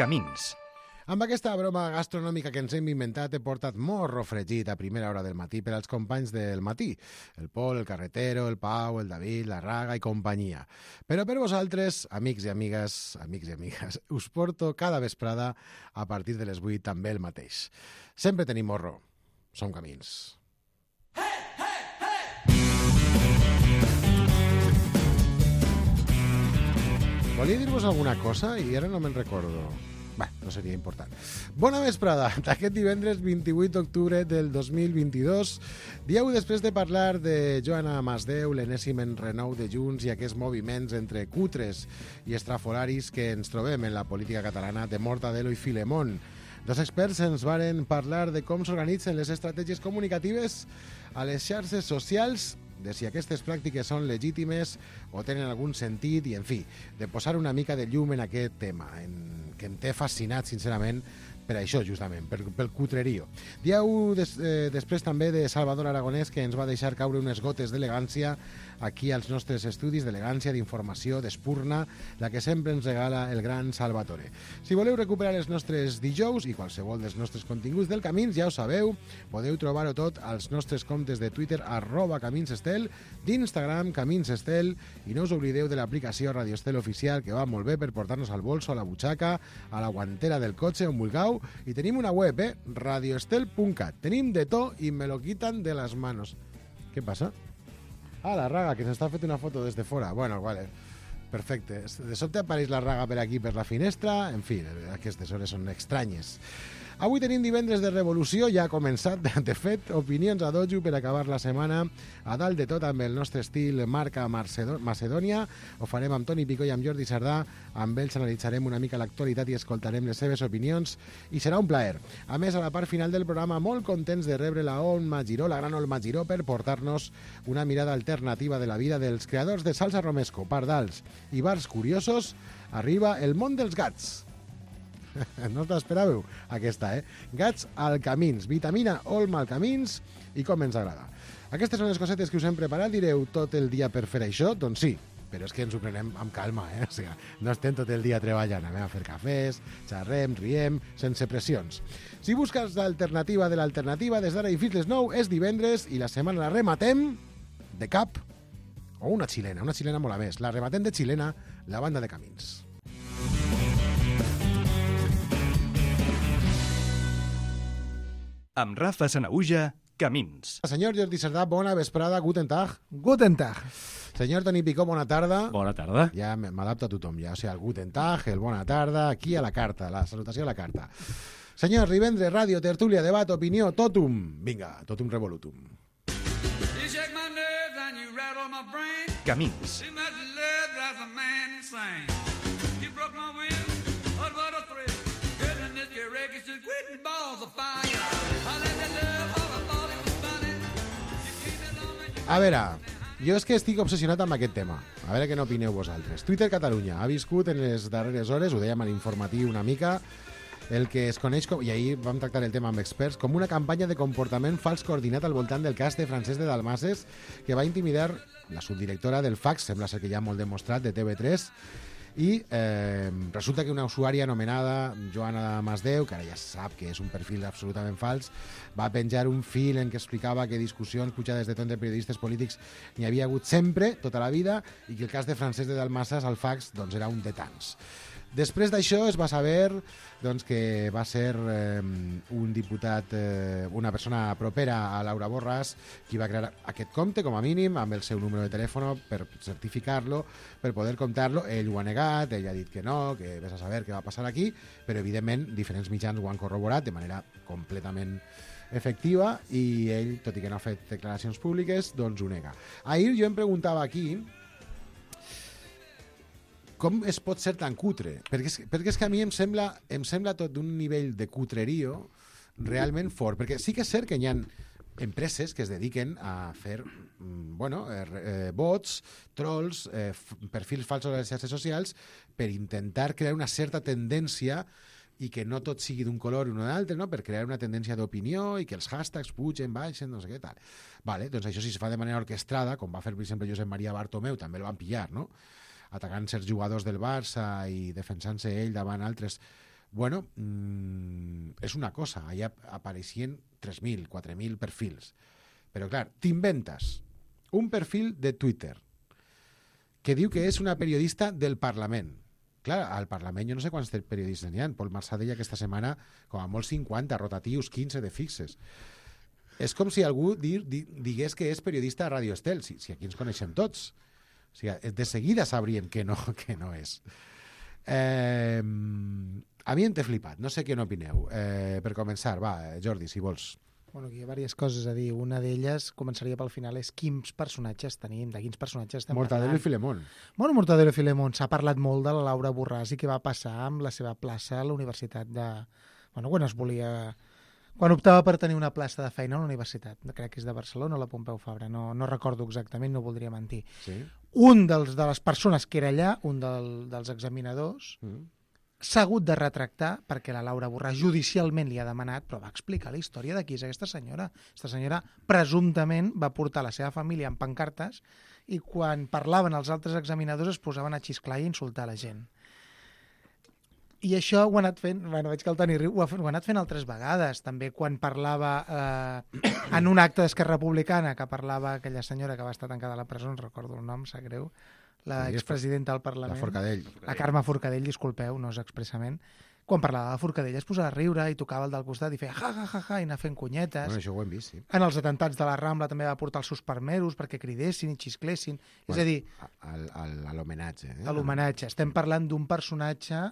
Camins. Amb aquesta broma gastronòmica que ens hem inventat he portat morro fregit a primera hora del matí per als companys del matí. El Pol, el Carretero, el Pau, el David, la Raga i companyia. Però per vosaltres, amics i amigues, us porto cada vesprada a partir de les 8 també el mateix. Sempre tenim morro. Som Camins. Volia dir-vos alguna cosa i ara no me'n recordo. Bé, no seria important. Bona vesprada d'aquest divendres 28 d'octubre del 2022. Dieu després de parlar de Joana Masdeu, l'enèsim enrenou de Junts i aquests moviments entre cutres i estrafolaris que ens trobem en la política catalana de Mortadelo i Filemón. Dos experts ens varen parlar de com s'organitzen les estratègies comunicatives a les xarxes socials, de si aquestes pràctiques són legítimes o tenen algun sentit i, en fi, de posar una mica de llum en aquest tema, que em té fascinat, sincerament, per això, justament, pel cutrerío. Dieu després també de Salvador Aragonès, que ens va deixar caure unes gotes d'elegància aquí als nostres estudis, d'elegància, d'informació, d'espurna, la que sempre ens regala el gran Salvatore. Si voleu recuperar els nostres dijous i qualsevol dels nostres continguts del Camins, ja ho sabeu, podeu trobar-ho tot als nostres comptes de Twitter, @CaminsEstel, d'Instagram, CaminsEstel, i no us oblideu de l'aplicació Radio Estel Oficial, que va molt bé per portar-nos al bolso, a la butxaca, a la guantera del cotxe, on vulgueu, i tenim una web, radioestel.cat. Tenim de tot i me lo quitan de las manos. Què passa? Ah, la Raga, que s'està fent una foto des de fora. Bueno, vale, perfecte. De sobte apareix la Raga per aquí, per la finestra. En fi, aquestes hores són estranyes. Avui tenim divendres de revolució, ja ha començat, de fet, opinions a dojo per acabar la setmana, a dalt de tot amb el nostre estil marca Macedònia. Ho farem amb Toni Picó i amb Jordi Sardà, amb ells analitzarem una mica l'actualitat i escoltarem les seves opinions, i serà un plaer. A més, a la part final del programa, molt contents de rebre la Olma Giró, la gran Olma Giró, per portar-nos una mirada alternativa de la vida dels creadors de Salsa Romesco, Pardals i Bars Curiosos. Arriba el món dels gats. No us l'esperàveu, aquesta, Gats al Camins, vitamina Olma al Camins, i com ens agrada. Aquestes són les cosetes que us hem preparat. Direu, tot el dia per fer això? Doncs sí, però és que ens ho prenem amb calma, O sigui, no estem tot el dia treballant, anem a fer cafès, xerrem, riem, sense pressions. Si busques l'alternativa de l'alternativa, des d'ara i fins les 9 és divendres i la setmana la rematem de cap, o una xilena molt a més. La rematem de xilena, la banda de Camins. Amb Rafa Sanaüja, Camins. Senyor Jordi Sardà, bona vesprada, guten Tag. Guten Tag. Senyor Toni Picó, bona tarda. Bona tarda. Ja m'adapto a tothom, ja, o sigui, el guten Tag, el bona tarda, aquí a la carta, la salutació a la carta. Senyor Rivendre, ràdio, tertúlia, debat, opinió, totum. Vinga, totum revolutum. Camins. A veure, jo és que estic obsessionat amb aquest tema. A veure què n'opineu vosaltres. Twitter Catalunya ha viscut en les darreres hores, ho dèiem a l'informatiu una mica, el que es coneix com, i ahir vam tractar el tema amb experts, com una campanya de comportament fals coordinat al voltant del cas de Francesc de Dalmases, que va intimidar la subdirectora del FACS, sembla ser que ja molt demostrat, de TV3, i resulta que una usuària anomenada Joana Masdeu, que ara ja sap que és un perfil absolutament fals, va penjar un fil en què explicava que discussions pujades de ton de periodistes polítics n'hi havia hagut sempre, tota la vida, i que el cas de Francesc de Dalmases al FACS doncs, era un de tants. Després d'això es va saber doncs, que va ser un diputat, una persona propera a Laura Borràs, qui va crear aquest compte, com a mínim, amb el seu número de telèfon per certificar-lo, per poder comptar-lo. Ell ho ha negat, ell ha dit que no, que vés a saber què va passar aquí, però evidentment diferents mitjans ho han corroborat de manera completament efectiva i ell, tot i que no ha fet declaracions públiques, doncs ho nega. Ahir jo em preguntava aquí com es pot ser tan cutre? Perquè és que a mi em sembla tot d'un nivell de cutrerio realment fort, perquè sí que és cert que hi ha empreses que es dediquen a fer bots, trolls, perfils falsos a les xarxes socials per intentar crear una certa tendència i que no tot sigui d'un color o d'un altre, no? Per crear una tendència d'opinió i que els hashtags pugen, baixen, no sé què tal. Vale, doncs això si es fa de manera orquestrada, com va fer, per exemple, Josep Maria Bartomeu, també el van pillar, no? Atacant certs jugadors del Barça i defensant-se ell davant altres Bueno, és una cosa, allà apareixien 3.000, 4.000 perfils. Però clar, t'inventes un perfil de Twitter que diu que és una periodista del Parlament. Clar, al Parlament jo no sé quants periodistes n'hi ha. Pol Marsà deia aquesta setmana com a molt 50, rotatius, 15 de fixes. És com si algú digués que és periodista a Radio Estel, si aquí ens coneixem tots. O sigui, de seguida sabríem que no és. A mi em té flipat, no sé què n'opineu. Per començar, va, Jordi, si vols. Bueno, aquí hi ha diverses coses a dir. Una d'elles, començaria pel final, és quins personatges tenim, de quins personatges estem Mortadelo parlant. i Filemón. Bueno, Mortadelo i Filemón. S'ha parlat molt de la Laura Borràs i què va passar amb la seva plaça a la universitat de... Bueno, quan es volia... Quan optava per tenir una plaça de feina a la universitat. Crec que és de Barcelona o la Pompeu Fabra. No recordo exactament, no voldria mentir. Sí? Un de les persones que era allà, un dels examinadors, s'ha hagut de retractar perquè la Laura Borràs judicialment li ha demanat, però va explicar la història de qui és aquesta senyora. Aquesta senyora presumptament va portar la seva família en pancartes i quan parlaven els altres examinadors es posaven a xisclar i insultar la gent. I això ho ha anat fent, bueno, veig que el Toni riu, ho ha anat fent altres vegades. També quan parlava en un acte d'Esquerra Republicana, que parlava aquella senyora que va estar tancada a la presó, no recordo el nom, sap greu, la expresidenta del Parlament. La Forcadell. La Carme Forcadell, disculpeu, no és expressament. Quan parlava de Forcadell es posava a riure i tocava el del costat i feia ja, i anar fent cunyetes. Bueno, això ho hem vist, sí. En els atentats de la Rambla també va portar els seus parmeros perquè cridessin i xisclessin. Bueno, és a dir, a l'homenatge. a l'homenatge. Estem parlant d'un personatge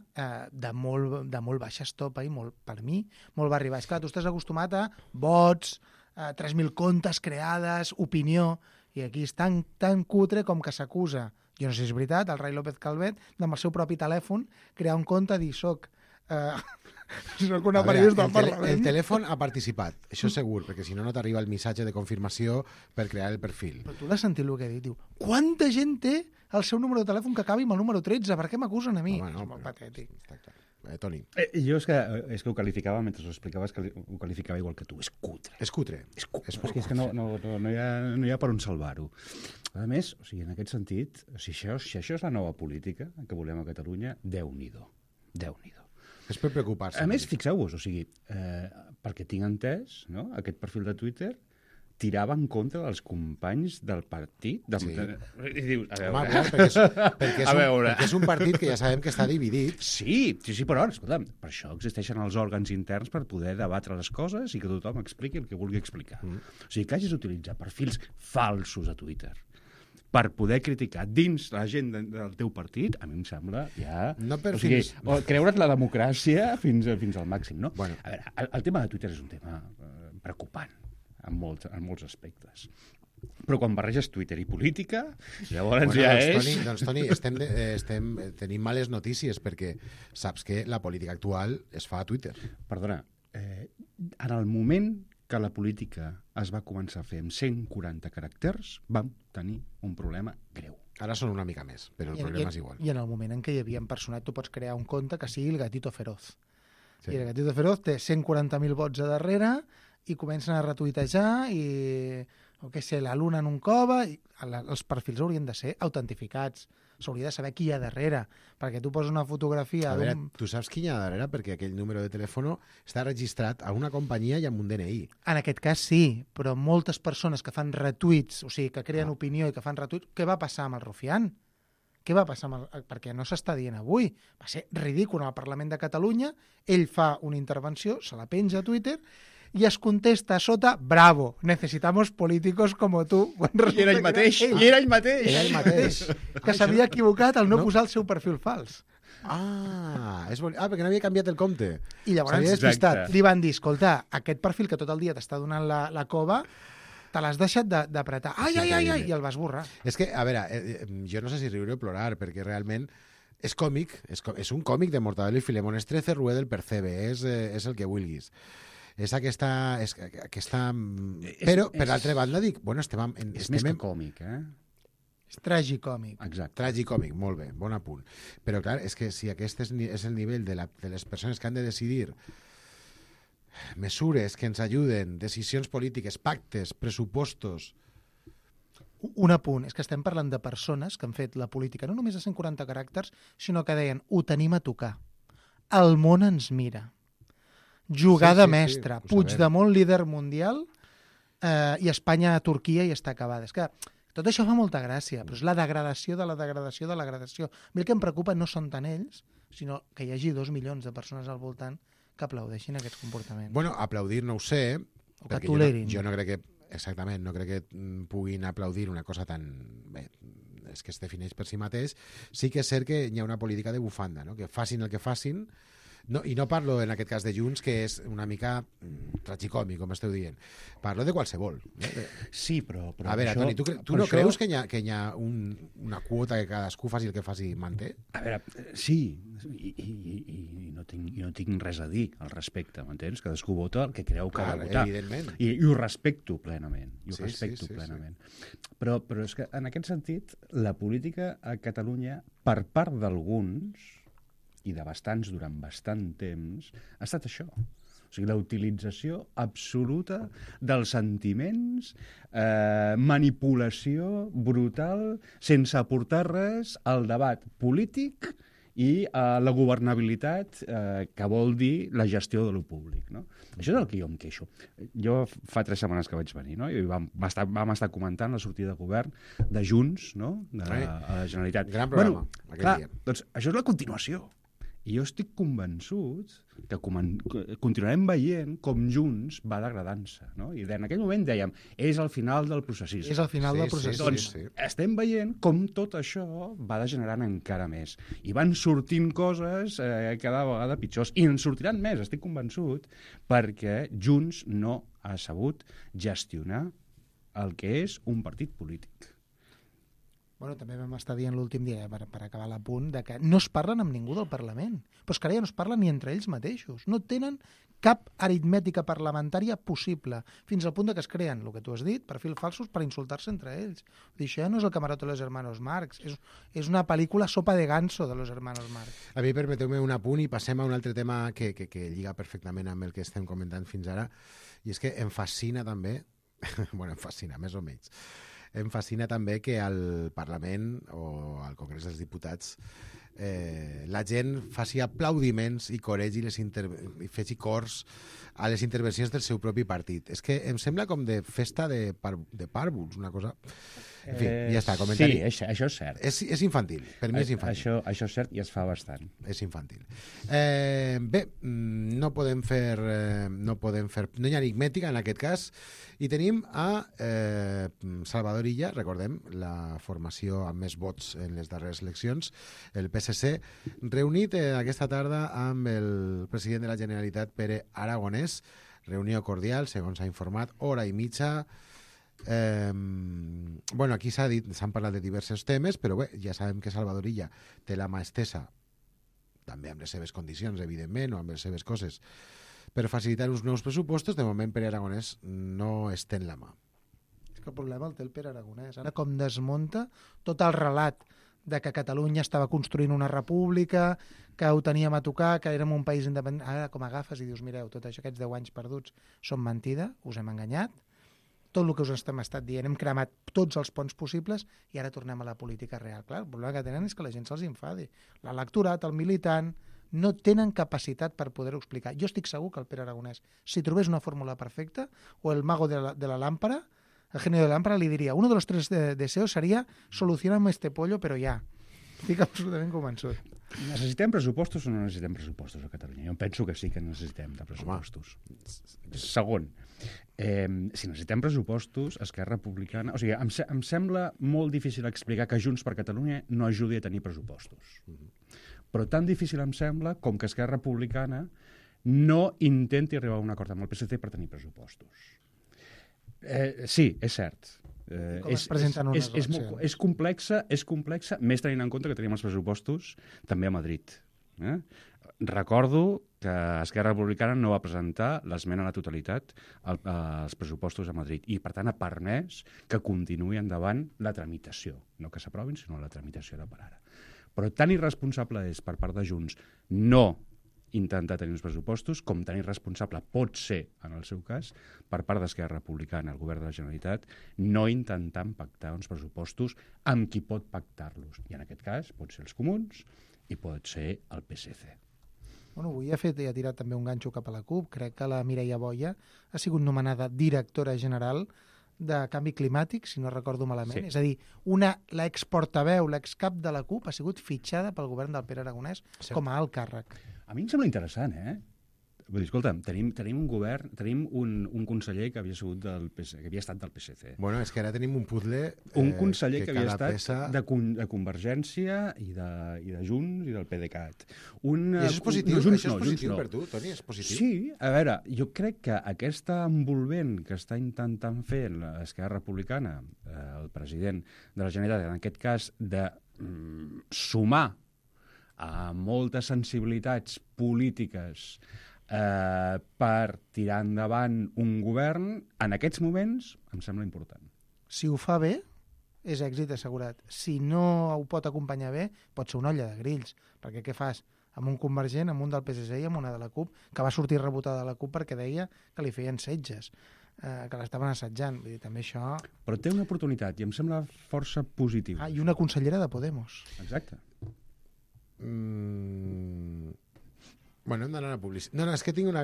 de molt baixa estopa i molt, per mi, molt barri baix. Clar, tu estàs acostumat a vots, 3.000 comptes creades, opinió, i aquí és tan cutre com que s'acusa, jo no sé si és veritat, el Ray López Calvet, amb el seu propi telèfon, crear un compte i dir soc una periodista del Parlament. El telèfon ha participat, això segur, perquè si no, no t'arriba el missatge de confirmació per crear el perfil. Però tu l'has sentit el que ha dit? Diu, quanta gent té el seu número de telèfon que acabi amb el número 13? Per què m'acusen a mi? Home, no, és molt patètic. Està clar. Toni. Jo és que ho qualificava, mentre ho explicaves, que ho qualificava igual que tu. És cutre. És cutre. És que no hi ha per on salvar-ho. A més, o sigui, en aquest sentit, si això és la nova política que volem a Catalunya, Déu-n'hi-do. És per preocupar-se. A més, fixeu-vos, o sigui, perquè tinc entès, no?, aquest perfil de Twitter tirava en contra dels companys del partit. Sí. I dius, a veure... Home, clar, perquè és un partit que ja sabem que està dividit. Sí, però, escolta'm, per això existeixen els òrgans interns per poder debatre les coses i que tothom expliqui el que vulgui explicar. O sigui, que hagis d'utilitzar perfils falsos a Twitter per poder criticar dins la gent del teu partit, a mi em sembla ja... No per o creure't la democràcia fins al màxim, no? Bueno. A veure, el tema de Twitter és un tema preocupant en molts aspectes. Però quan barreges Twitter i política, llavors ja és... Toni, tenim males notícies perquè saps que la política actual es fa a Twitter. Perdona, en el moment que la política es va començar a fer amb 140 caràcters, vam tenir un problema greu. Ara són una mica més, però el problema és igual. I en el moment en què hi havia un personatge, tu pots crear un compte que sigui el Gatito Feroz. Sí. I el Gatito Feroz té 140.000 vots a darrere i comencen a retuitejar i, o què sé, la luna en un cova, i els perfils haurien de ser autentificats. S'hauria de saber qui hi ha darrere, perquè tu poses una fotografia... A veure, tu saps qui hi ha darrere? Perquè aquell número de telèfon està registrat a una companyia i amb un DNI. En aquest cas sí, però moltes persones que fan retuits, o sigui, que creen opinió i que fan retuits, què va passar amb el Rufián? Què va passar amb perquè no s'està dient avui. Va ser ridícul al Parlament de Catalunya, ell fa una intervenció, se la penja a Twitter i es contesta a sota, bravo, necesitamos políticos como tú. I era ell mateix. Que s'havia equivocat al no posar el seu perfil fals. Perquè no havia canviat el compte. I llavors s'havia despistat. Li van dir, escolta, aquest perfil que tot el dia t'està donant la cova, te l'has deixat d'apretar. Ai, i el vas borrar. És que, a veure, jo no sé si riure o plorar, perquè realment és còmic, és un còmic de Mortadelo i Filemón, és 13 Rue del Percebe, és el que vulguis. És aquesta... Però, per l'altra banda, dic... Bueno, és més que còmic, És tragicòmic. Exacte. Tragicòmic, molt bé, bon apunt. Però, clar, és que si aquest és el nivell de les persones que han de decidir mesures que ens ajuden, decisions polítiques, pactes, pressupostos... Un apunt, és que estem parlant de persones que han fet la política no només a 140 caràcters, sinó que deien, ho tenim a tocar. el món ens mira. Jugada Sí, mestra. ho sabem. Puigdemont, líder mundial, i Espanya a Turquia i està acabada. És que tot això fa molta gràcia, però és la degradació de la degradació de la degradació. A mi el que em preocupa no són tant ells, sinó que hi hagi 2 milions de persones al voltant que aplaudeixin aquests comportaments. Bueno, aplaudir no ho sé, O que perquè tolerin. jo no crec que, exactament, no crec que puguin aplaudir una cosa tan... Bé, és que es defineix per si mateix. Sí que és cert que hi ha una política de bufanda, no? Que facin el que facin. No, i no parlo en aquest cas de Junts, que és una mica tragicòmic, com esteu dient. Parlo de qualsevol. Sí, però A veure, això, Toni, tu no creus que hi ha una quota que cadascú faci el que faci manté? A veure, sí, i no tinc res a dir al respecte, m'entens? Cadascú vota el que creu que ha de votar. Evidentment. I ho respecto plenament. Sí. Plenament. Però és que, en aquest sentit, la política a Catalunya, per part d'alguns, i de bastants durant bastant temps, ha estat això. O sigui, la utilització absoluta dels sentiments, manipulació brutal, sense aportar res al debat polític i a la governabilitat, que vol dir la gestió de lo públic. No? Això és el que jo em queixo. Jo fa 3 setmanes que vaig venir, no? I vam estar comentant la sortida de govern de Junts, no? A la Generalitat. Gran programa, aquell clar, dia. doncs això és la continuació. I jo estic convençut que continuarem veient com Junts va degradant-se. No? I en aquell moment dèiem, és el final del processisme. És el final del procés. Doncs estem veient com tot això va degenerant encara més. I van sortint coses cada vegada pitjors. I en sortiran més, estic convençut, perquè Junts no ha sabut gestionar el que és un partit polític. Bueno, també vam estar dient l'últim dia, per acabar l'apunt, de que no es parlen amb ningú del Parlament. Però és que ara ja no es parlen ni entre ells mateixos. No tenen cap aritmètica parlamentària possible, fins al punt de que es creen, el que tu has dit, perfils falsos per insultar-se entre ells. Això ja no és el camarote de los hermanos Marx, és una pel·lícula sopa de ganso de los hermanos Marx. A mi permeteu-me un apunt i passem a un altre tema que lliga perfectament amb el que estem comentant fins ara, i és que em fascina també, bueno, em fascina, més o menys, em fascina també que al Parlament o al Congrés dels Diputats la gent faci aplaudiments i coregi i faci cors a les intervencions del seu propi partit. És que em sembla com de festa de pàrvuls, una cosa... En fi, ja està, comentari. Sí, això és cert. És infantil, per mi és infantil. Això és cert i es fa bastant. És infantil. Bé, no hi ha aritmètica en aquest cas, i tenim a Salvador Illa, recordem, la formació amb més vots en les darreres eleccions, el PSC, reunit aquesta tarda amb el president de la Generalitat, Pere Aragonès, reunió cordial, segons s'ha informat, hora i mitja. Bueno, aquí s'han parlat de diversos temes, però bé, ja sabem que Salvador Illa té la mà estesa, també amb les seves condicions, evidentment, o amb les seves coses, per facilitar uns nous pressupostos. De moment, Pere Aragonès no estén la mà. És que el problema el té el Pere Aragonès. Ara com desmunta tot el relat de que Catalunya estava construint una república, que ho teníem a tocar, que érem un país independent. Ara com agafes i dius, mireu, tot això, aquests 10 anys perduts són mentida, us hem enganyat, tot el que us estem dient, hem cremat tots els ponts possibles i ara tornem a la política real. Clar, el problema que tenen és que la gent se'ls infadi. L'electorat, el militant, no tenen capacitat per poder-ho explicar. Jo estic segur que el Pere Aragonès, si trobés una fórmula perfecta, o el mago de la lámpara, el genio de la lámpara li diria, uno de los 3 deseos seria solucionar-me este pollo, però ja. Estic absolutament convençut. Necessitem pressupostos o no necessitem pressupostos a Catalunya? Jo penso que sí que necessitem de pressupostos. Segon, si necessitem pressupostos, Esquerra Republicana... O sigui, em sembla molt difícil explicar que Junts per Catalunya no ajudi a tenir pressupostos. Però tan difícil em sembla com que Esquerra Republicana no intenti arribar a un acord amb el PSC per tenir pressupostos. Sí, és cert. És complexa, més tenint en compte que tenim els pressupostos també a Madrid. Recordo que Esquerra Republicana no va presentar l'esmena a la totalitat als pressupostos a Madrid i, per tant, ha permès que continuï endavant la tramitació. No que s'aprovin, sinó la tramitació de per ara. Però tan irresponsable és per part de Junts no intentar tenir uns pressupostos, com tan irresponsable pot ser, en el seu cas, per part d'Esquerra Republicana, el govern de la Generalitat, no intentant pactar uns pressupostos amb qui pot pactar-los. I en aquest cas pot ser els comuns i pot ser el PSC. Bueno, avui ha tirat també un ganxo cap a la CUP. Crec que la Mireia Boia ha sigut nomenada directora general de Canvi Climàtic, si no recordo malament. Sí. És a dir, l'exportaveu, l'excap de la CUP ha sigut fitxada pel govern del Pere Aragonès com a alt càrrec. A mi em sembla interessant, Vull dir, escolta, tenim un govern, tenim un conseller que havia sigut que havia estat del PSC. Bueno, és que ara tenim un puzzle... Un conseller que havia estat peça... de Convergència i de Junts i del PDeCAT. I això és positiu? Això és positiu per tu, Toni? És positiu? Sí, a veure, jo crec que aquesta envolvent que està intentant fer l'Esquerra Republicana, el president de la Generalitat, en aquest cas, de sumar a moltes sensibilitats polítiques per tirar endavant un govern, en aquests moments, em sembla important. Si ho fa bé, és èxit assegurat. Si no ho pot acompanyar bé, pot ser una olla de grills. Perquè què fas? Amb un convergent, amb un del PSC i amb una de la CUP, que va sortir rebotada de la CUP perquè deia que li feien setges, que l'estaven assetjant. Vull dir, també això... Però té una oportunitat i em sembla força positiu. I una consellera de Podemos. Exacte. Bueno, hem d'anar a la publicitat. No, és que tinc una...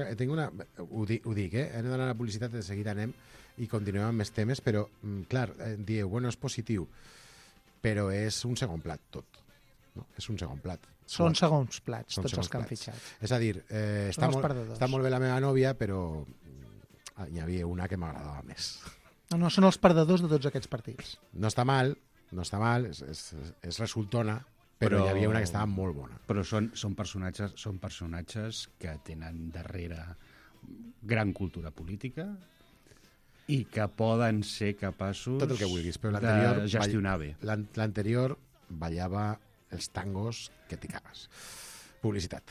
Ho dic, hem d'anar a la publicitat, de seguida anem i continuem amb més temes, però, clar, dieu, bueno, és positiu, però és un segon plat, tot. No? És un segon plat. Són segons plats, tots els que han fitxat. És a dir, està molt bé la meva nòvia, però hi havia una que m'agradava més. No, són els perdedors de tots aquests partits. No està mal, és resultona, però hi havia una que estava molt bona. Però són personatges que tenen darrere gran cultura política i que poden ser capaços tot el que vulguis, però de gestionar bé. L'anterior ballava els tangos que t'hi cagues. Publicitat.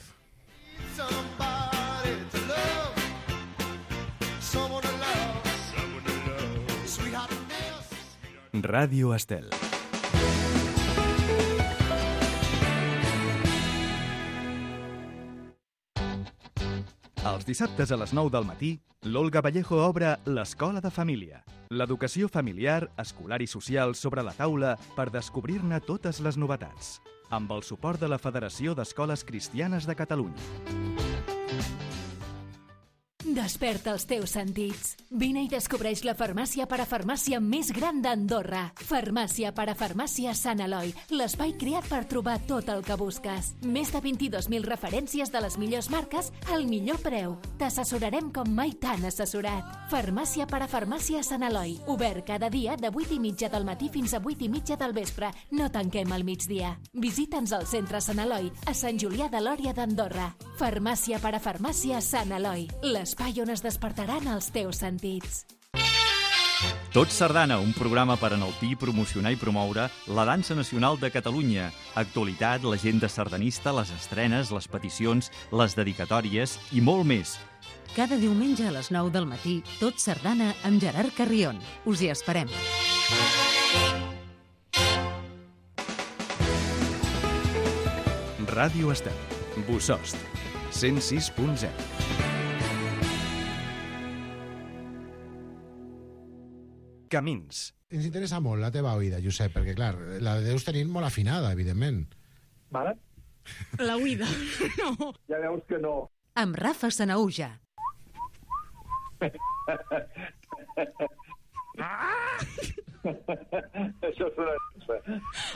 Ràdio Estel. Els dissabtes a les 9 del matí, l'Olga Vallejo obre l'Escola de Família. L'educació familiar, escolar i social sobre la taula per descobrir-ne totes les novetats. Amb el suport de la Federació d'Escoles Cristianes de Catalunya. Desperta els teus sentits. Vine i descobreix la farmàcia parafarmàcia més gran d'Andorra. Farmàcia parafarmàcia Sant Eloi, l'espai creat per trobar tot el que busques. Més de 22.000 referències de les millors marques al millor preu. T'assessorarem com mai t'han assessorat. Farmàcia parafarmàcia Sant Eloi, obert cada dia de 8:30 del matí fins a 8:30 del vespre. No tanquem al migdia. Visita'ns al centre Sant Eloi, a Sant Julià de Lòria d'Andorra. Farmàcia parafarmàcia Sant Eloi, l'espai on es despertaran els teus sentits. Tot Sardana, un programa per enaltir, promocionar i promoure la dansa nacional de Catalunya. Actualitat, l'agenda sardanista, les estrenes, les peticions, les dedicatòries i molt més. Cada diumenge a les 9 del matí, Tot Sardana amb Gerard Carrion. Us hi esperem. Ràdio Estel. Bosost. 106.0. Camins. Ens interessa molt la teva oïda, Josep, perquè, clar, la deus tenir molt afinada, evidentment. Vale? La oïda, no. Ja veus que no. Amb Rafa Sanaúja. Això és una cosa.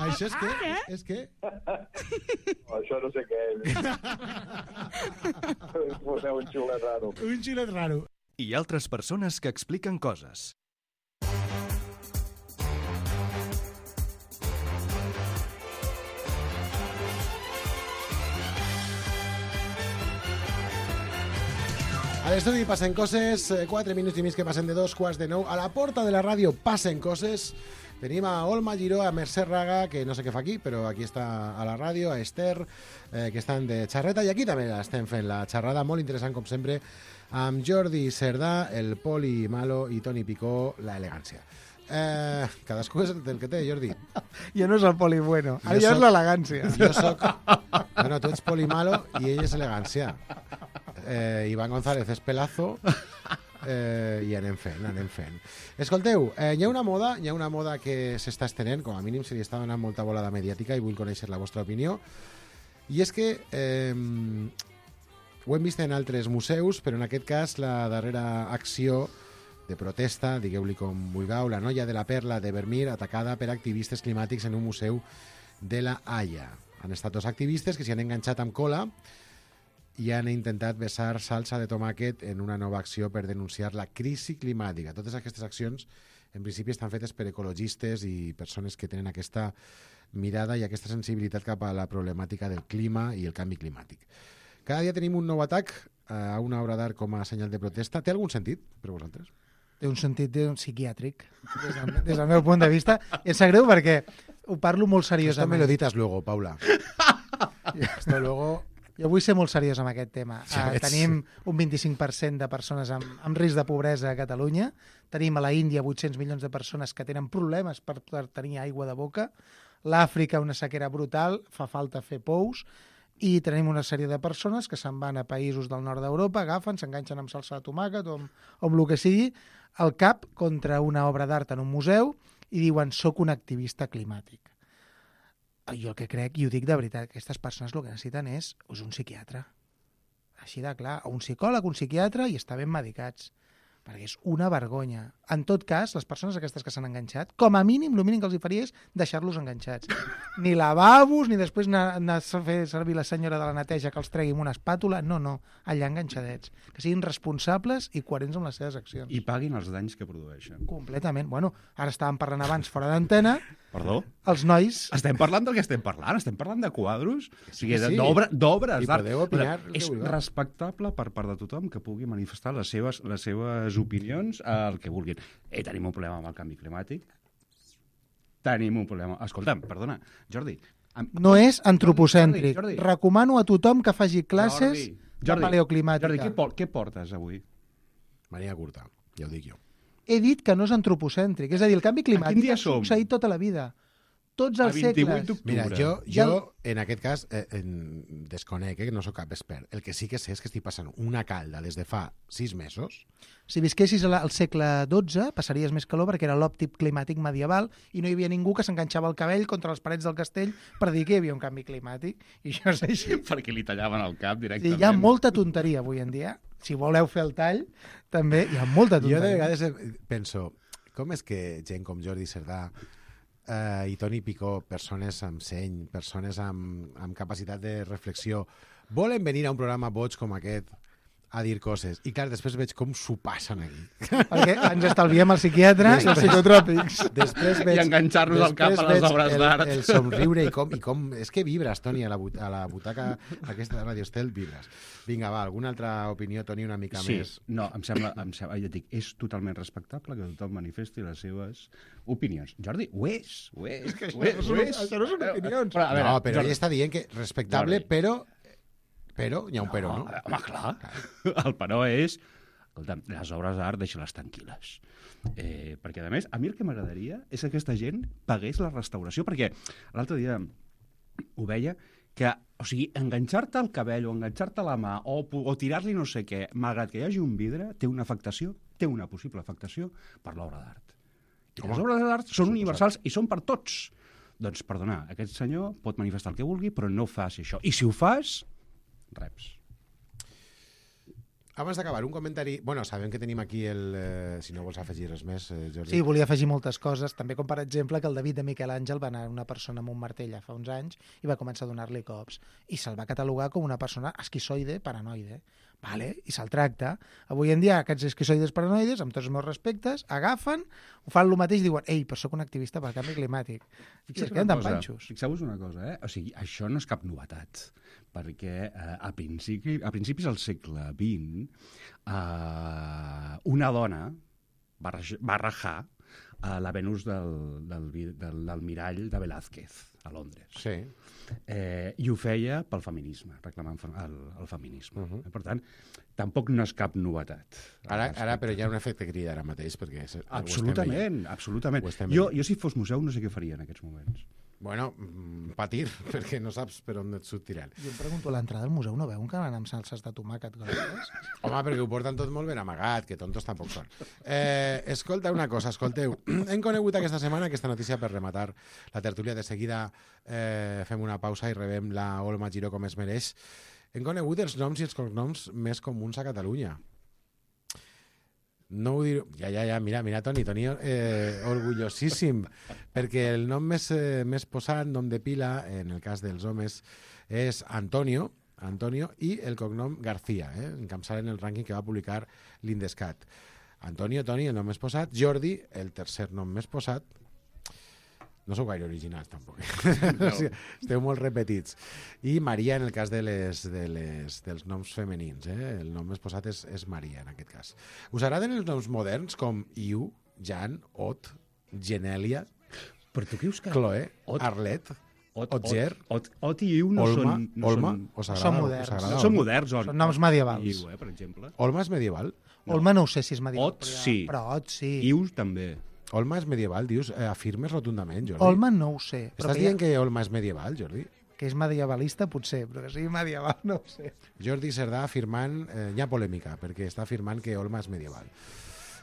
Això és què? És què? No, això no sé què és. Poseu un xulet raro. Un xilet raro. I altres persones que expliquen coses. A l'estudi passen coses, 4 minuts i mig que passen de 2:15. A la porta de la ràdio passen coses. Tenim a Olma Giró, a Mercè Raga, que no sé què fa aquí, però aquí està a la ràdio, a Esther, que estan de xarreta, i aquí també estem fent la xerrada, molt interessant, com sempre, amb Jordi Cerdà, el Poli Malo i Toni Picó, la elegància. Cadascú és el que té, Jordi. Jo no és el Poli Bueno, ara Jo ja és soc- l'elegància. Jo soc... Bueno, tu ets Poli Malo i ell és elegància. Iván González és pelazo i anem fent. Escolteu, hi ha una moda que s'està estenent, com a mínim se li està donant molta volada mediàtica i vull conèixer la vostra opinió, i és que Ho hem vist en altres museus, però en aquest cas la darrera acció de protesta, digueu-li com vulgueu, la noia de la Perla de Vermeer atacada per activistes climàtics en un museu de la Haia. Han estat dos activistes que s'hi han enganxat amb cola i han intentat vessar salsa de tomàquet en una nova acció per denunciar la crisi climàtica. Totes aquestes accions, en principi, estan fetes per ecologistes i persones que tenen aquesta mirada i aquesta sensibilitat cap a la problemàtica del clima i el canvi climàtic. Cada dia tenim un nou atac a una obra d'art com a senyal de protesta. Té algun sentit per vosaltres? Té un sentit psiquiàtric, des del meu punt de vista. I em sap greu perquè ho parlo molt Esto me seriosament. lo editas luego, Paula. Esto luego... Jo vull ser molt seriós amb aquest tema. Ja veig. Tenim un 25% de persones amb risc de pobresa a Catalunya. Tenim a la Índia 800 milions de persones que tenen problemes per tenir aigua de boca. L'Àfrica, una sequera brutal, fa falta fer pous. I tenim una sèrie de persones que se'n van a països del nord d'Europa, agafen, s'enganxen amb salsa de tomàquet o amb el que sigui, al cap contra una obra d'art en un museu i diuen soc un activista climàtic. Jo el que crec, i ho dic de veritat, aquestes persones el que necessiten és un psiquiatre. Així de clar, o un psicòleg, un psiquiatre, i estar ben medicats. Perquè és una vergonya. En tot cas, les persones aquestes que s'han enganxat, com a mínim, el mínim que els hi faria és deixar-los enganxats. Ni lavabos, ni després anar a fer servir la senyora de la neteja que els tregui amb una espàtula. No, no, allà enganxadets. Que siguin responsables i coherents amb les seves accions. I paguin els danys que produeixen. Completament. Bueno, ara estàvem parlant abans fora d'antena. Perdó? Els nois... Estem parlant del que estem parlant? Estem parlant de quadros? O sigui, sí. d'obres I d'art. podeu opinar el que És vulgueu. respectable per part de tothom que pugui manifestar les seves opinions al que vulguin. Tenim un problema amb el canvi climàtic. Tenim un problema... Escolta'm, perdona, Jordi. No és antropocèntric. Jordi. Recomano a tothom que faci classes de paleoclimàtica. Jordi, què portes avui? Mania curta, ja ho dic jo. He dit que no és antropocèntric. És a dir, el canvi climàtic dia ha som? succeït tota la vida. Tots A els 28 segles. d'octubre. Mira, Ja jo en aquest cas desconec, que no sóc cap expert. El que sí que sé és que estic passant una calda des de fa 6 mesos. Si visquessis al segle XII, passaries més calor perquè era l'òptic climàtic medieval i no hi havia ningú que s'enganxava el cabell contra les parets del castell per dir que hi havia un canvi climàtic. I això és així. Perquè li tallaven el cap Sí, directament. hi ha molta tonteria avui en dia. Si voleu fer el tall, també hi ha molta tonteria. Jo de vegades penso, com és que gent com Jordi Cerdà i Toni Picó, persones amb seny, persones amb capacitat de reflexió, volen venir a un programa boig com aquest a dir coses. I clar, després veig com s'ho passen aquí. Perquè ens estalviem el psiquiatre i els psicotròpics. Després I enganxar-nos al cap a les obres d'art. El somriure i com... És que vibres, Toni, a la butaca aquesta de Radio Estel, vibres. Vinga, va, alguna altra opinió, Toni, una mica més? No, em sembla, ja et dic, és totalment respectable que tothom manifesti les seves opinions. Jordi, ho és. Això no són opinions. Però, a veure, No, però Jordi, ell està dient que respectable, Jordi. però hi ha un però, no? Home, clar. El però és... Escolta, les obres d'art deixa-les tranquil·les. Perquè, a més, a mi el que m'agradaria és que aquesta gent pagués la restauració, perquè l'altre dia ho veia, que, o sigui, enganxar-te al cabell o enganxar-te a la mà o tirar-li no sé què, malgrat que hi hagi un vidre, té una afectació, té una possible afectació per l'obra d'art. I les obres d'art són universals i són per tots. Doncs, perdona, aquest senyor pot manifestar el que vulgui, però no faci això. I si ho fas, reps. Abans d'acabar, un comentari... Bueno, sabem que tenim aquí el... si no vols afegir res més, Jordi. Sí, volia afegir moltes coses, també com per exemple que el David de Miquel Àngel va anar a una persona amb un martell fa uns anys i va començar a donar-li cops. I se'l va catalogar com una persona esquizoide, paranoide. Vale? I se'l tracta. Avui en dia aquests esquizoides paranoides, amb tots els meus respectes, agafen, ho fan el mateix i diuen ei, però sóc un activista pel canvi climàtic. I es queden tan panxos. Fixeu-vos una cosa, O sigui, això no és cap novetat, perquè a principis del segle XX una dona va rajar la Venus del mirall de Velázquez a Londres. Sí. I ho feia pel feminisme, reclamant el feminisme. Per tant, tampoc no és cap novetat. Ara però hi ha un efecte crida ara mateix, perquè... Absolutament. Ho estem Jo, veient. si fos museu, no sé què faria en aquests moments. Bueno, patir, perquè no saps per on et sortiran. Jo em pregunto, a l'entrada del museu no veuen que van amb salses de tomàquet grogues? Home, perquè ho porten tot molt ben amagat, que tontos tampoc són. Escolta una cosa, escolteu. Hem conegut aquesta setmana aquesta notícia per rematar la tertúlia. De seguida fem una pausa i rebem la Olma Giró com es mereix. hem conegut els noms i els cognoms més comuns a Catalunya. No ho diré... Ja, mira, Toni, orgullosíssim, perquè el nom més posat, nom de pila, en el cas dels homes, és Antonio, i el cognom García, encapçalen el rànquing que va publicar l'Indescat. Antonio, Toni, el nom més posat, Jordi, el tercer nom més posat. No sou gaire originals, tampoc. No. Esteu molt repetits. I Maria, en el cas dels noms femenins. El nom més posat és Maria, en aquest cas. Us agraden els noms moderns, com Iu, Jan, Ot, Genèlia, Chloe, Arlet, Otger, Ot i Iu no Olma, són... Olma? Són moderns. Són moderns. Són noms medievals. Iu, per exemple. Olma és medieval? Olma no ho sé si és medieval. Ot sí. Però Ot sí. Iu també. Olma és medieval, dius? Afirmes rotundament, Jordi? Olma no ho sé. Estàs dient que Olma és medieval, Jordi? Que és medievalista, potser, però que sigui medieval, no ho sé. Jordi Cerdà afirmant... hi ha polèmica, perquè està afirmant que Olma és medieval.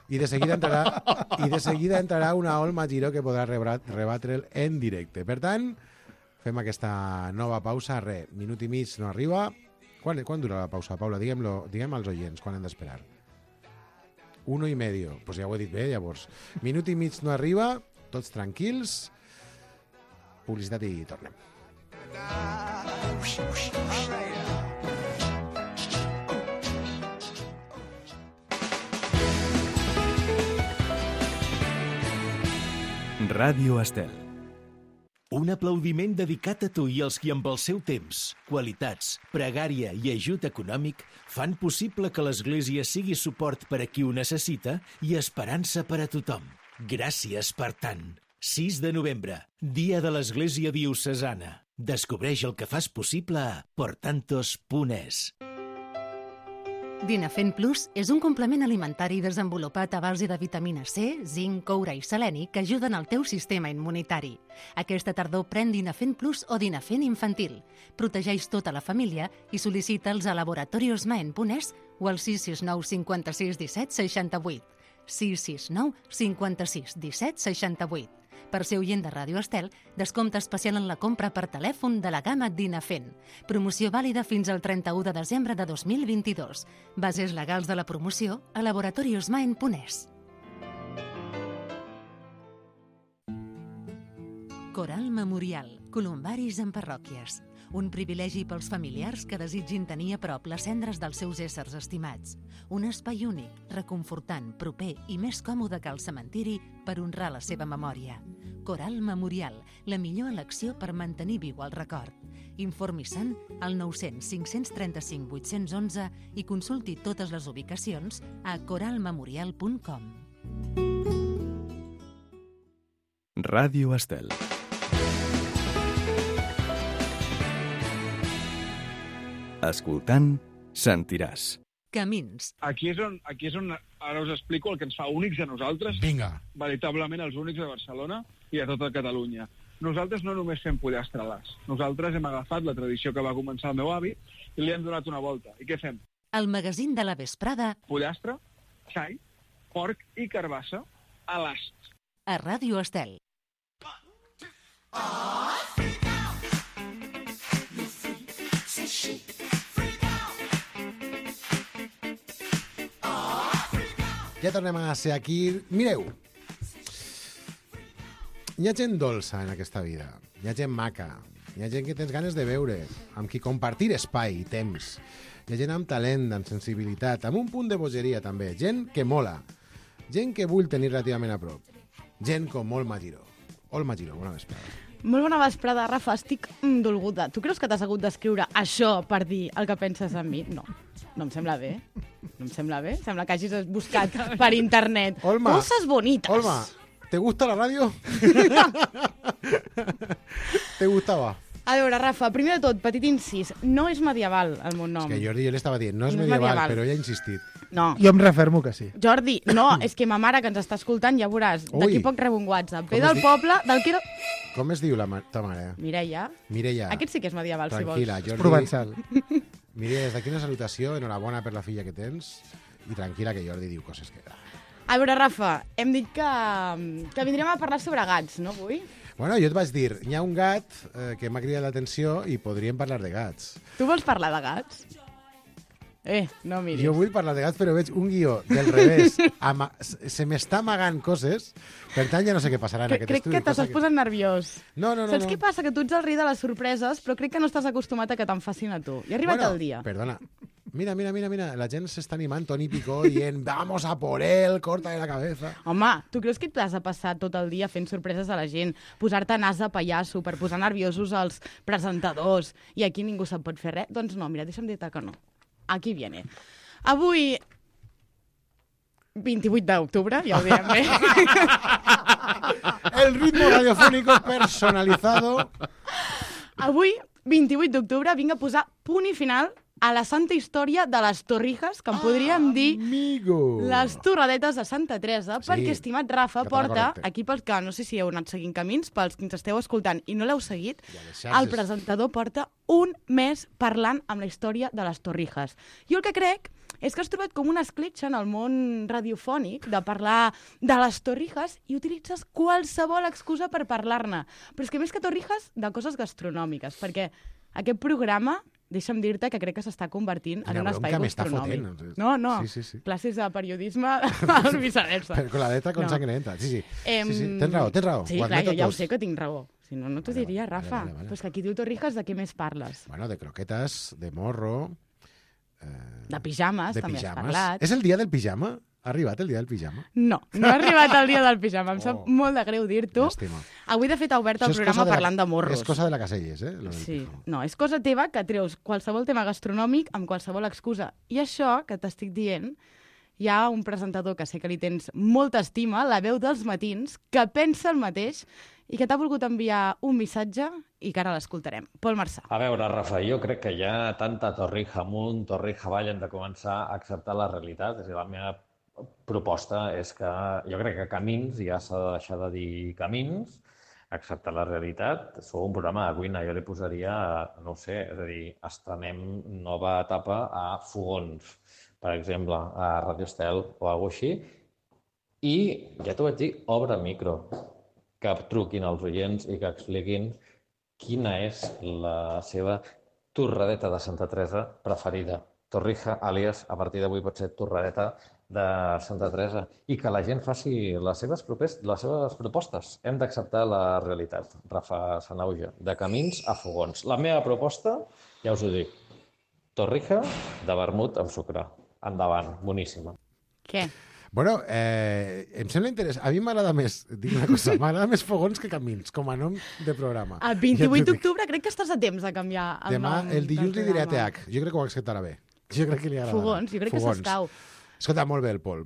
I de seguida entrarà una Olma Giró que podrà rebatre'l en directe. Per tant, fem aquesta nova pausa. Minut i mig no arriba. Quan dura la pausa, Paula? Diguem als oients quan hem d'esperar. 1 i medio. Pues ja ho he dit bé, llavors. Minut i mig no arriba, tots tranquils. Publicitat i tornem. Ràdio Estel. Un aplaudiment dedicat a tu i als qui amb el seu temps, qualitats, pregària i ajut econòmic fan possible que l'Església sigui suport per a qui ho necessita i esperança per a tothom. Gràcies per tant. 6 de novembre, Dia de l'Església Diocesana. Descobreix el que fas possible a portantos.es. Dinafen Plus és un complement alimentari desenvolupat a base de vitamina C, zinc, coure i seleni que ajuden al teu sistema immunitari. Aquesta tardor pren Dinafen Plus o Dinafen infantil. Protegeix tota la família i sol·licita'ls a laboratoriosmaen.es o al 669 56 17 68. 669 56 17 68. Per ser oient de Ràdio Estel, descompte especial en la compra per telèfon de la gamma Dinafen. Promoció vàlida fins al 31 de desembre de 2022. Bases legals de la promoció a laboratoriosmaen.es. Coral Memorial, columbaris en parròquies. Un privilegi pels familiars que desitgin tenir a prop les cendres dels seus éssers estimats. Un espai únic, reconfortant, proper i més còmode que el cementiri per honrar la seva memòria. Coral Memorial, la millor elecció per mantenir viu el record. Informi-se'n al 900 535 811 i consulti totes les ubicacions a coralmemorial.com. Ràdio Estel. Escoltant, sentiràs. Camins. Aquí és on ara us explico el que ens fa únics a nosaltres. Vinga. Veritablement els únics de Barcelona i a tota Catalunya. Nosaltres no només fem pollastre-las. Nosaltres hem agafat la tradició que va començar el meu avi i li hem donat una volta. I què fem? El magazín de la vesprada. Pollastre, xai, porc i carbassa a l'ast. A Ràdio Estel. Ja tornem a ser aquí. Mireu, hi ha gent dolça en aquesta vida, hi ha gent maca, hi ha gent que tens ganes de veure, amb qui compartir espai i temps, hi ha gent amb talent, amb sensibilitat, amb un punt de bogeria també, gent que mola, gent que vull tenir relativament a prop, gent com Olma Giró. Olma Giró, bona vesprada. Molt bona vesprada, Rafa. Estic dolguda. Tu creus que t'has hagut d'escriure això per dir el que penses en mi? No. No em sembla bé. No em sembla bé. Sembla que hagis buscat per internet Olma, coses bonitas. Olma, ¿te gusta la radio? ¿Te gustaba? A veure, Rafa, primer de tot, petit incís. No és medieval el meu nom. És que Jordi jo li estava dient, no és medieval, però ella ha insistit. No. Jo em refermo que sí. Jordi, no, és que ma mare que ens està escoltant, ja veuràs, d'aquí poc rebo un WhatsApp. Ve del poble, del que era... Com es diu ta mare? Mireia. Mireia. Aquest sí que és medieval, tranquil·la, si vols. Jordi. És provençal. Mireia, des d'aquí una salutació, enhorabona per la filla que tens, i tranquil·la que Jordi diu coses que... A veure, Rafa, hem dit que vindrem a parlar sobre gats, no, avui? Bueno, jo et vaig dir, hi ha un gat que m'ha cridat l'atenció i podríem parlar de gats. Tu vols parlar de gats? No miris. Jo vull parlar de gats, però veig un guió del revés. Se m'està amagant coses, per tant ja no sé què passarà en aquest estudi. Crec que t'estàs posant nerviós. No. Saps què passa? Que tu ets el rei de les sorpreses, però crec que no estàs acostumat a que te'n facin a tu. I ha arribat el dia. Perdona. Mira, la gent s'està animant, Toni Picó dient vamos a por él, corta de la cabeza. Home, tu creus que t'has de passar tot el dia fent sorpreses a la gent, posar-te nas de pallasso per posar nerviosos als presentadors i aquí ningú se'n pot fer res? Doncs no, mira, deixa'm dir-te que no. Aquí viene. Avui, 28 d'octubre, ja ho direm bé. El ritmo radiofónico personalizado. Avui, 28 d'octubre, vinc a posar punt i final a la santa història de les Torrijas, que en podríem dir les torradetes de Santa Teresa, perquè, estimat Rafa, porta, aquí pels que no sé si heu anat seguint camins, pels que ens esteu escoltant i no l'heu seguit, el presentador porta un mes parlant amb la història de les Torrijas. Jo el que crec és que has trobat com una escletxa en el món radiofònic de parlar de les Torrijas i utilitzes qualsevol excusa per parlar-ne. Però és que més que Torrijas, de coses gastronòmiques, perquè aquest programa, deixa'm dir-te que crec que s'està convertint en un espai gastronòmic. No. Sí. Classes de periodisme al viceversa. Con la letra con sangre entra. Sí. Tens raó. Sí, clar, jo ja ho sé que tinc raó. Si no, no t'ho diria, Rafa. Vale. Però és que aquí diu Torrijas, de què més parles? Bueno, de croquetes, de morro... De pijames, també has parlat. És el dia del pijama? Ha arribat el dia del pijama? No ha arribat el dia del pijama. Em sap molt de greu dir-t'ho. Avui, de fet, ha obert el programa parlant de morros. És cosa de la Caselles, Sí. No, és cosa teva que treus qualsevol tema gastronòmic amb qualsevol excusa. I això que t'estic dient, hi ha un presentador que sé que li tens molta estima, la veu dels matins, que pensa el mateix i que t'ha volgut enviar un missatge i que ara l'escoltarem. Pol Marçà. A veure, Rafa, jo crec que ja tanta torrija amunt, torrija avall, hem de començar a acceptar la realitat. És a dir, la meva proposta és que jo crec que Camins ja s'ha de deixar de dir Camins, acceptar la realitat. Sou un programa de cuina, jo li posaria, no ho sé, és a dir, estrenem nova etapa a Fogons, per exemple, a Radio Estel o alguna cosa així. I, ja t'ho vaig dir, obre micro, que truquin als oients i que expliquin quina és la seva torradeta de Santa Teresa preferida. Torrija, àlies, a partir d'avui pot ser torradeta de Santa Teresa. I que la gent faci les seves propostes. Hem d'acceptar la realitat, Rafa Sanauja, de Camins a Fogons. La meva proposta, ja us ho dic, torrija de vermut amb sucre. Endavant, boníssima. Què? Bueno, em sembla interessant. A mi m'agrada més, dic una cosa, m'agrada més Fogons que Camins, com a nom de programa. El 28 d'octubre crec que estàs a temps de canviar el nom. Demà, el dilluns li diré a TH. Jo crec que ho acceptarà bé. Jo crec que li agradarà. Fogons, jo crec que s'escau. Escolta, molt bé el Pol.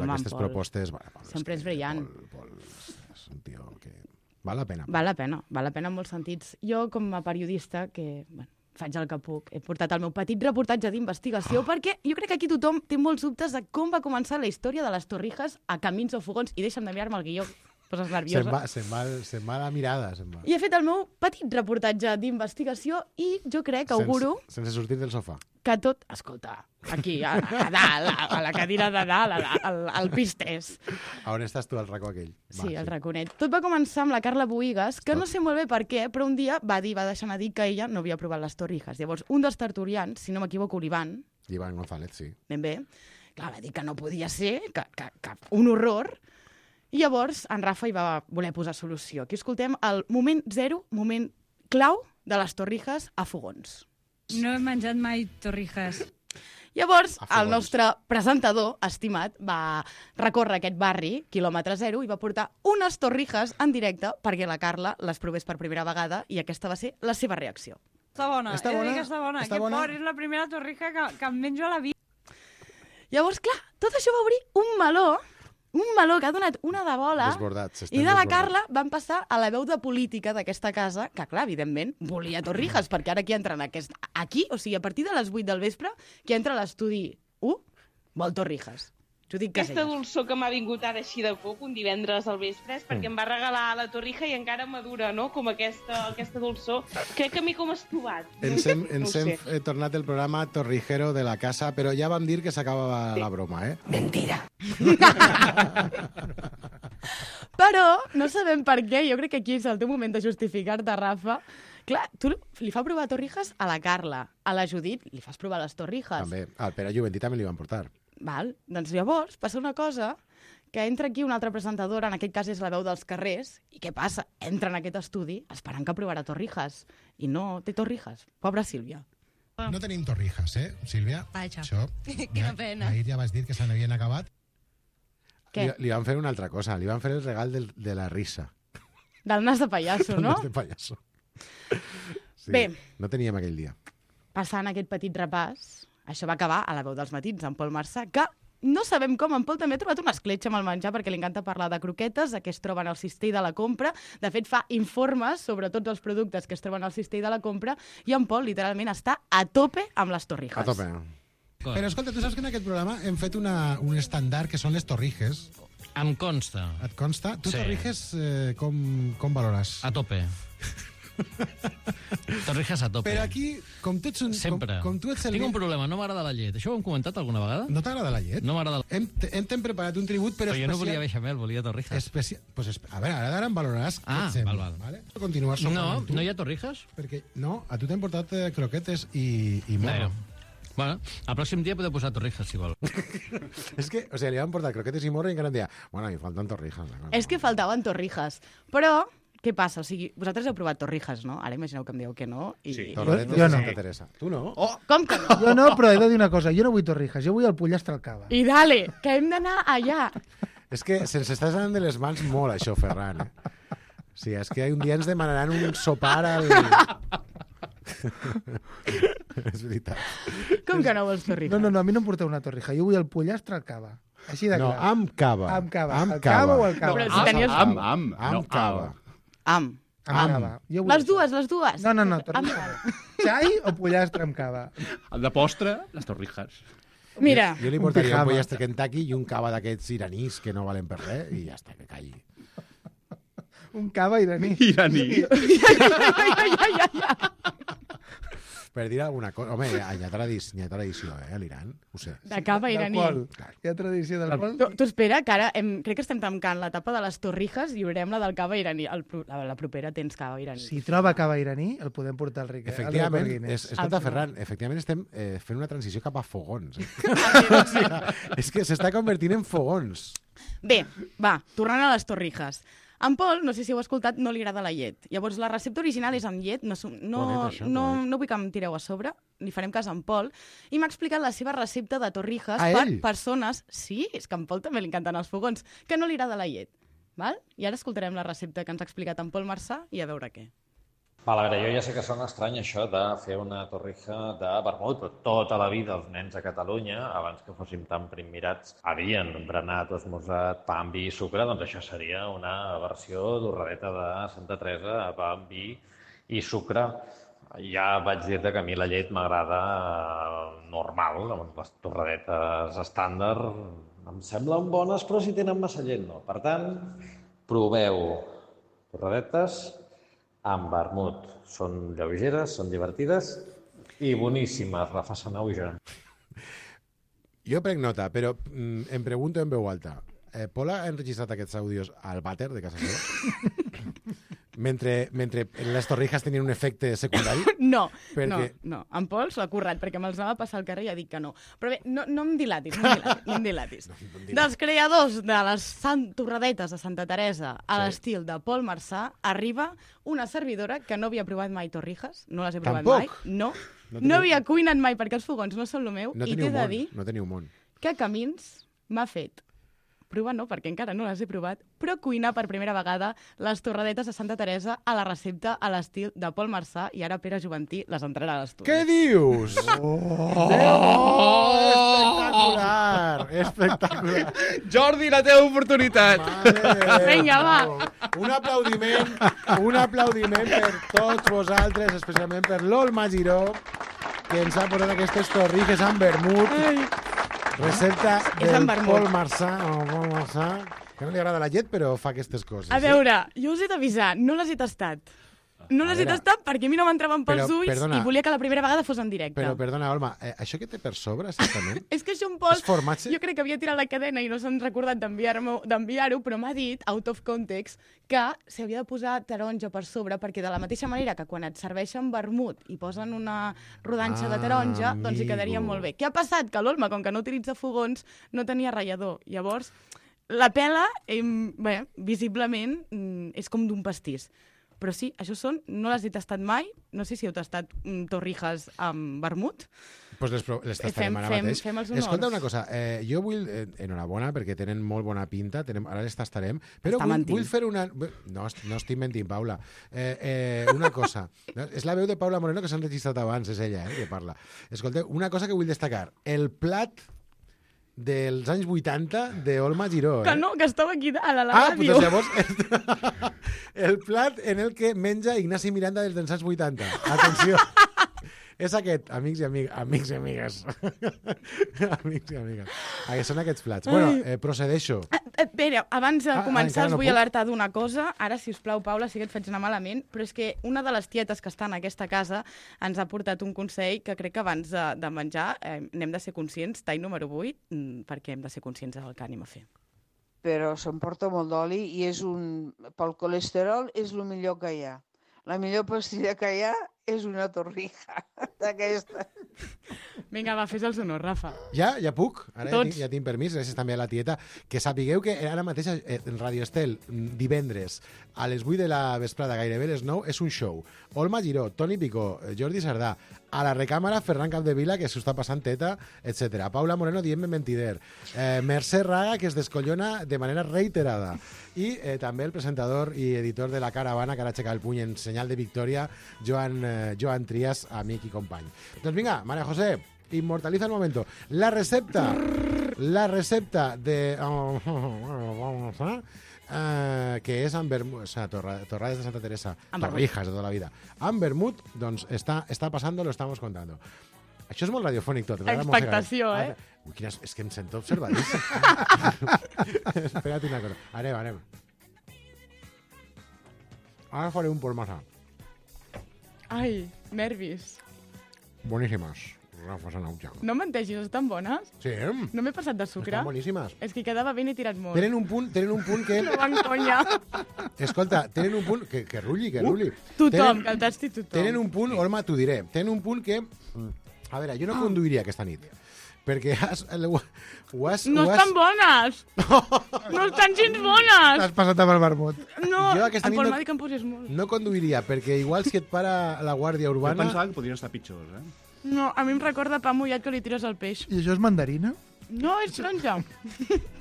Aquestes propostes... Sempre és brillant. Pol és un tio que... Val la pena. Val la pena en molts sentits. Jo, com a periodista, que... faig el que puc. He portat el meu petit reportatge d'investigació perquè jo crec que aquí tothom té molts dubtes de com va començar la història de les Torrijas a Camins o Fogons. I deixa'm de mirar-me el guió, poses nerviosa. Se'n va la mirada. I he fet el meu petit reportatge d'investigació i jo crec, auguro... Sense sortir del sofà. Que tot... Escolta, aquí, a dalt, a la cadira de dalt, al pis 3. A on estàs tu, al racó aquell? Sí, al raconet. Tot va començar amb la Carla Bohigas, que no sé molt bé per què, però un dia va deixar anar dir que ella no havia provat les Torrijas. Llavors, un dels tertulians, si no m'equivoco, l'Ivan González, sí. Ben bé. Clar, va dir que no podia ser, que un horror. I llavors, en Rafa hi va voler posar solució. Aquí escoltem el moment zero, moment clau de les Torrijas a Fogons. No he menjat mai torrijas. Llavors, el nostre presentador, estimat, va recórrer aquest barri, quilòmetre zero, i va portar unes torrijas en directe perquè la Carla les provés per primera vegada i aquesta va ser la seva reacció. Està bona, està bona? Està bona. Està bona? És la primera torrija que em menjo a la vida. Llavors, clar, tot això va obrir un meló que ha donat una de bola, i de la Carla van passar a la veu de política d'aquesta casa, que clar, evidentment, volia torrijas, perquè ara qui entra aquí, o sigui, a partir de les 8 del vespre, qui entra a l'estudi 1, vol torrijas. Judit Aquesta Casellas. dolçor que m'ha vingut ara així de cop, un divendres al vespre, és perquè em va regalar la torrija i encara madura, no?, com aquesta dolçor. Crec que a mi com has trobat. Ens hem tornat el programa Torrijero de la casa, però ja vam dir que s'acabava la broma, eh? Mentira. Però no sabem per què, jo crec que aquí és el teu moment de justificar-te, Rafa. Clar, tu li fa provar torrijas a la Carla, a la Judit li fas provar les torrijas. També, al Pere Juventí també li van portar. Val? Doncs llavors passa una cosa, que entra aquí una altra presentadora, en aquest cas és la veu dels carrers, i què passa? Entra en aquest estudi esperant que provarà torrijas, i no té torrijas. Pobra Sílvia. No tenim torrijas, Sílvia? Vaja, Això, quina pena. Ahir ja vas dir que se n'havien acabat. Què? Li van fer una altra cosa, li van fer el regal de la risa. Del nas de pallasso, no? Del nas de pallasso. Sí, Bé. no teníem aquell dia. Passant aquest petit repàs, això va acabar a la veu dels matins, en Pol Marçà, que no sabem com, en Pol també ha trobat una escletxa amb el menjar perquè li encanta parlar de croquetes, que es troben al cistell de la compra. De fet, fa informes sobre tots els productes que es troben al cistell de la compra i en Pol, literalment, està a tope amb les torrijas. A tope. Però escolta, tu saps que en aquest programa hem fet un estàndard que són les torrijes. Em consta. Et consta? Tu Sí. torrijes com valores? A tope. Torrijas a tope. Però aquí, com tu ets un... Sempre. Com tu ets el... Tinc un problema, no m'agrada la llet. Això ho hem comentat alguna vegada? No t'agrada la llet? No m'agrada la... Hem preparat un tribut, però jo no volia beixamel, volia torrijas. Pues, a veure, ara em valoraràs què et sembla. Vale. Continuar sopant No, amb tu. no hi ha torrijas? Perquè, no, a tu t'han portat croquetes i morro. Bueno, el pròxim dia podeu posar torrijas, si vol. És que, o sigui, li van portar croquetes i morro i encara em deia, bueno, mi falten torrijas. És que faltaven torrijas. Però, què passa? O sigui, vosaltres heu provat torrijas, no? Ara imagineu que em dieu que no. I... Sí, torretes Jo de no. Santa Teresa. Tu no? Oh, com que no? Jo no, però he de dir una cosa. Jo no vull torrijas, jo vull el pollastre al cava. I dale, que hem d'anar allà. És que se'ns està anant de les mans molt, això, Ferran. Sí, és que un dia ens demanaran un sopar al... És veritat. Com que no vols torrijas? No, a mi no em porteu una torrija. Jo vull el pollastre al cava. Així de clar. No, amb cava. Amb cava. Amb El cava o el No, cava? però si tenies... Amb cava. Amb. Amb cava. Jo vull Les dues. No, torrija. Xai o pollastre amb cava? De postre, les torrijas. Mira. Jo li portaria un pollastre Kentucky i un cava d'aquests iranís que no valen per res i ja està, que calli. Un cava iraní. Iraní. Per dir alguna cosa... Home, hi ha tradició, a l'Iran, ho sé. De cava iraní. Hi ha tradició del pol. Tu espera, que ara crec que estem tancant l'etapa de les torrijas i obrirem la del cava iraní. La propera tens cava iraní. Si troba cava iraní, el podem portar al Riquet. Efectivament, escolta, Ferran, efectivament estem fent una transició cap a fogons. És que s'està convertint en fogons. Bé, va, tornant a les torrijas. En Pol, no sé si heu escoltat, no li agrada la llet. Llavors, la recepta original és amb llet, no vull que em tireu a sobre, li farem cas a en Pol, i m'ha explicat la seva recepta de torrijas per persones... Sí, és que a en Pol també li encanten els fogons, que no li agrada la llet. Val? I ara escoltarem la recepta que ens ha explicat en Pol Marçà i a veure què. Val, a veure, jo ja sé que sona estrany això de fer una torrija de vermut, però tota la vida els nens a Catalunya, abans que fóssim tan primmirats, havien berenat o esmorzat pa amb vi i sucre, doncs això seria una versió d'orradeta de Santa Teresa, pa amb vi i sucre. Ja vaig dir-te que a mi la llet m'agrada normal, les torradetes estàndard em semblen bones, però si tenen massa llet no. Per tant, proveu torradetes amb vermut. Són lleugeres, són divertides i boníssimes, Rafa Sanau i jo. Jo prenc nota, però em pregunto en veu alta. Pol ha enregistrat aquests àudios al vàter de casa seva? mentre les torrijas tenien un efecte secundari? No, perquè... no. En Pol s'ho ha currat, perquè me'ls anava a passar al carrer i ha dit que no. Però bé, no em dilatis. Dels creadors de les torradetes de Santa Teresa a l'estil de Pol Marçà arriba una servidora que no havia provat mai torrijas, no les he provat mai. No havia cuinat mai, perquè els fogons no són el meu, i t'he de dir no teniu món. Que Camins m'ha fet provar no, perquè encara no les he provat, però cuinar per primera vegada les torradetes de Santa Teresa a la recepta a l'estil de Pol Marçà, i ara Pere Juventí les entrarà a l'estudi. Què dius? Espectacular! Jordi, la teva oportunitat! Vinga, va! Un aplaudiment per tots vosaltres, especialment per l'Olma Giró, que ens ha posat aquestes torrijas amb vermut. Recepta És del amb vermut. Pol Marçà, que no li agrada la llet, però fa aquestes coses. A veure, jo us he d'avisar, no les he tastat. No les he tastat perquè a mi no m'entraven pels ulls i volia que la primera vegada fos en directe. Però, perdona, Olma, això que té per sobre, exactament? És que això en Pol, És formatge? jo crec que havia tirat la cadena i no s'han recordat d'enviar-ho, però m'ha dit, out of context, que s'hi havia de posar taronja per sobre, perquè de la mateixa manera que quan et serveixen vermut i posen una rodanxa de taronja, doncs hi quedaria molt bé. Què ha passat? Que l'Olma, com que no utilitza fogons, no tenia ratllador. Llavors, la pela, visiblement, és com d'un pastís. Però sí, això són, no les he tastat mai, no sé si heu tastat torrijas amb vermut. Doncs les tastarem ara mateix. Fem els honors. Escolta una cosa, jo vull, enhorabona, perquè tenen molt bona pinta, ara les tastarem, però vull fer una... No estic mentint, Paula. Una cosa, és la veu de Paula Moreno que s'han registrat abans, és ella que parla. Escolta, una cosa que vull destacar, el plat dels anys 80 d'Olma Giró. Que no, que estava aquí a la ràdio. Doncs llavors, el plat en el que menja Ignasi Miranda dels anys 80. Atenció. És aquest, amics i amigues. Amics i amigues. Són aquests plats. Bueno, procedeixo. Espera, abans de començar us vull puc? alertar d'una cosa. Ara, si us plau, Paula, sí que et faig anar malament, però és que una de les tietes que està en aquesta casa ens ha portat un consell que crec que abans de menjar n'hem de ser conscients, tall número 8, perquè hem de ser conscients del que anem a fer. Però s'emporta molt d'oli i pel colesterol és el millor que hi ha. La millor pastilla que hi ha és una torrija d'aquesta. Vinga, va, fes els honors, Rafa. Ja puc? Ara Tots. ja tinc permís, gràcies també a la tieta. Que sapigueu que ara mateix en Radio Estel, divendres, a les 8 de la vesprada, gairebé les 9, és un show. Olma Giró, Toni Picó, Jordi Sardà, a la recàmera Ferran Capdevila, que s'ho està passant teta, etc. Paula Moreno dient-me mentider. Mercè Raga, que es descollona de manera reiterada. I també el presentador i editor de La Caravana, que ara aixeca el puny en senyal de victòria, Joan Trias, amic i company. Doncs vinga, María José, immortaliza el momento. La recepta de... que és amb vermut, o sea, torrades de Santa Teresa, torrijas de tota la vida. Amb vermut, doncs està passando, lo estamos contando. Això és molt radiofònic tot. Expectació, eh? Ui, és que em sento observadíssim. Espera't una cosa. Anem. Ara faré un Pol Marçà. Ai, nervis. Boníssimes. Rafa Sanauja. No menteixis, estan bones? Sí. No m'he passat de sucre? Estan boníssimes. És que quedava ben i tirat molt. Tenen un punt que... No van conya. Escolta, tenen un punt... Que rulli. Tothom, que el tasti tothom. Tenen un punt, Olma, t'ho diré. Tenen un punt que... A veure, jo no conduiria aquesta nit. Perquè No estan bones! No estan gens bones! T'has passat amb el vermut. No, Jo aquesta el nit Pol m'ha dit que em posés molt. no conduiria, perquè igual si et para la Guàrdia Jo Urbana... pensava que podrien estar pitjors, eh? No, a mi em recorda pa mullat que li tires al peix. I això és mandarina? No, és taronja.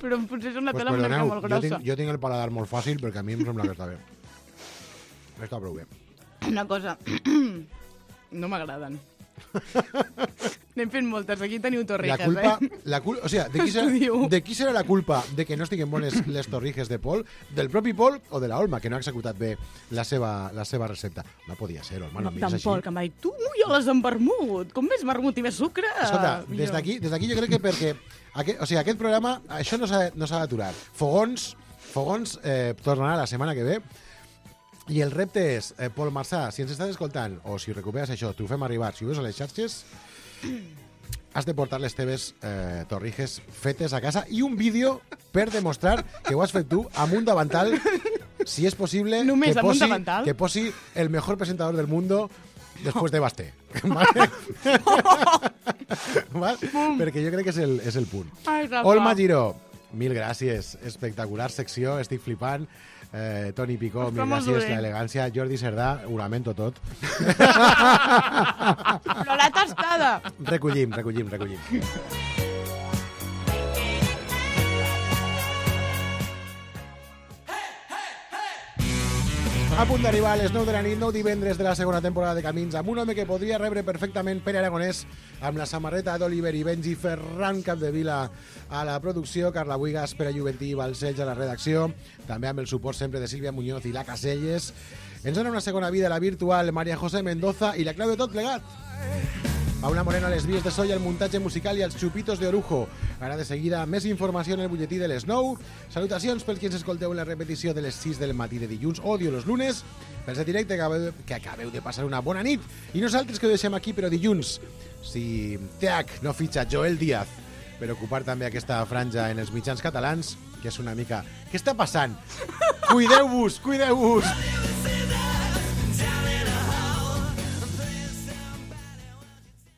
Però potser és una Pues tela una mica perdoneu, molt grossa. jo tinc el paladar molt fàcil, perquè a mi em sembla que està bé. Està prou bé. Una cosa, no m'agraden. N'hem fet moltes, aquí teniu torrijas, O sigui, de qui serà la culpa de que no estiguin bones les torrijas de Pol? Del propi Pol o de la Olma, que no ha executat bé la seva recepta? No podia ser, Olma, no mires així. Pol, que em va dir, tu jo les amb vermut, com més vermut i més sucre? Escolta, des d'aquí jo crec que perquè aquest programa, això no s'ha d'aturar. Fogons tornarà la setmana que ve. I el repte és, Pol Marçà, si ens estàs escoltant, o si recuperes això, t'ho fem arribar, si ho veus a les xarxes, has de portar les teves torrijas fetes a casa i un vídeo per demostrar que ho has fet tu amb un davantal, si és possible, que posi el mejor presentador del mundo después de Basté. ¿Vale? Perquè jo crec que és el punt. Olma Giró, mil gràcies, espectacular secció, estic flipant. Toni Picó, mil gràcies, l'elegància. Jordi Sardà, ho lamento tot. Però la tastada! Recollim. A punt d'arribar a les 9 de la nit, 9 divendres de la segona temporada de Camins, amb un home que podria rebre perfectament Pere Aragonès, amb la samarreta d'Oliver i Benji, Ferran Capdevila a la producció, Carla Buigas, Pere Juventí i Balcells a la redacció, també amb el suport sempre de Sílvia Muñoz i la Caselles. Ens dona una segona vida a la virtual María José Mendoza i la clau de tot plegat. Paula Moreno a les vies de so i el muntatge musical i els xupitos de Orujo. Ara de seguida més informació en el butlletí de les 9. Salutacions pels qui ens escolteu en la repetició de les 6 del matí de dilluns, odio los lunes. Pels de directe que acabeu de passar una bona nit. I nosaltres que ho deixem aquí, però dilluns, si TH no fitxa Joel Díaz per ocupar també aquesta franja en els mitjans catalans, que és una mica... Què està passant? Cuideu-vos, cuideu-vos!